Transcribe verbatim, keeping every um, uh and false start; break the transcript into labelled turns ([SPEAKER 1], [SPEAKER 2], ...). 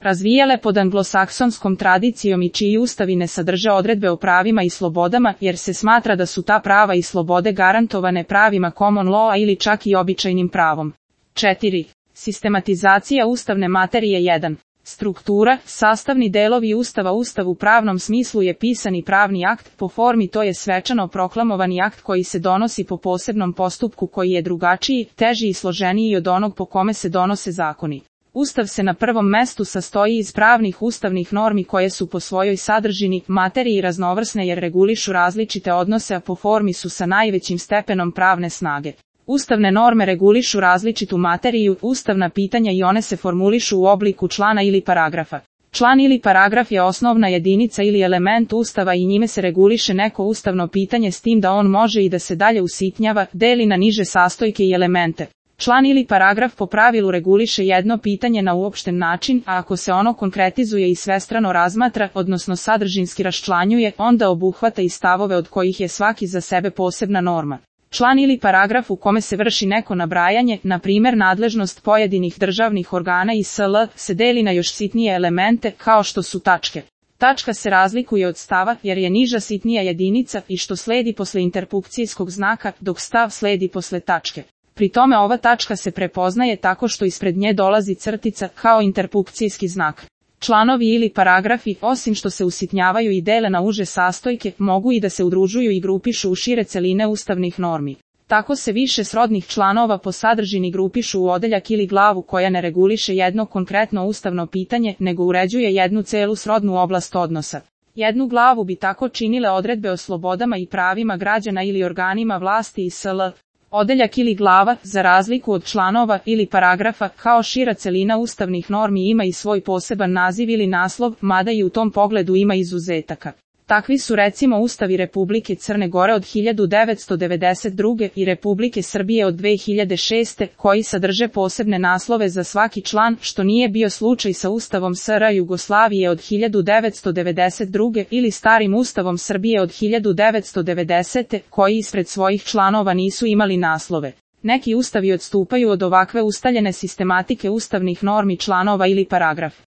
[SPEAKER 1] razvijale pod anglosaksonskom tradicijom i čiji ustavi ne sadrže odredbe o pravima i slobodama, jer se smatra da su ta prava i slobode garantovane pravima common law ili čak i običajnim pravom. četiri. Sistematizacija ustavne materije. jedan. Struktura, sastavni delovi Ustava. Ustav u pravnom smislu je pisani pravni akt, po formi to je svečano proklamovani akt koji se donosi po posebnom postupku koji je drugačiji, teži i složeniji od onog po kome se donose zakoni. Ustav se na prvom mestu sastoji iz pravnih ustavnih normi koje su po svojoj sadržini, materiji raznovrsne jer regulišu različite odnose, a po formi su sa najvećim stepenom pravne snage. Ustavne norme regulišu različitu materiju, ustavna pitanja i one se formulišu u obliku člana ili paragrafa. Član ili paragraf je osnovna jedinica ili element Ustava i njime se reguliše neko ustavno pitanje s tim da on može i da se dalje usitnjava, deli na niže sastojke i elemente. Član ili paragraf po pravilu reguliše jedno pitanje na uopšten način, a ako se ono konkretizuje i svestrano razmatra, odnosno sadržinski raščlanjuje, onda obuhvata i stavove od kojih je svaki za sebe posebna norma. Član ili paragraf u kome se vrši neko nabrajanje, na primjer nadležnost pojedinih državnih organa i sl., se deli na još sitnije elemente, kao što su tačke. Tačka se razlikuje od stava, jer je niža sitnija jedinica i što sledi posle interpunkcijskog znaka, dok stav sledi posle tačke. Pri tome ova tačka se prepoznaje tako što ispred nje dolazi crtica, kao interpunkcijski znak. Članovi ili paragrafi, osim što se usitnjavaju i dele na uže sastojke, mogu i da se udružuju i grupišu u šire celine ustavnih normi. Tako se više srodnih članova po sadržini grupišu u odeljak ili glavu koja ne reguliše jedno konkretno ustavno pitanje, nego uređuje jednu celu srodnu oblast odnosa. Jednu glavu bi tako činile odredbe o slobodama i pravima građana ili organima vlasti i sl. Odeljak ili glava, za razliku od članova ili paragrafa, kao šira celina ustavnih normi ima i svoj poseban naziv ili naslov, mada i u tom pogledu ima izuzetaka. Takvi su recimo Ustavi Republike Crne Gore od hiljadu devetsto devedeset druge i Republike Srbije od dve hiljade šeste, koji sadrže posebne naslove za svaki član, što nije bio slučaj sa Ustavom S R Jugoslavije od hiljadu devetsto devedeset druge ili starim Ustavom Srbije od hiljadu devetsto devedesete, koji ispred svojih članova nisu imali naslove. Neki ustavi odstupaju od ovakve ustaljene sistematike ustavnih normi članova ili paragraf.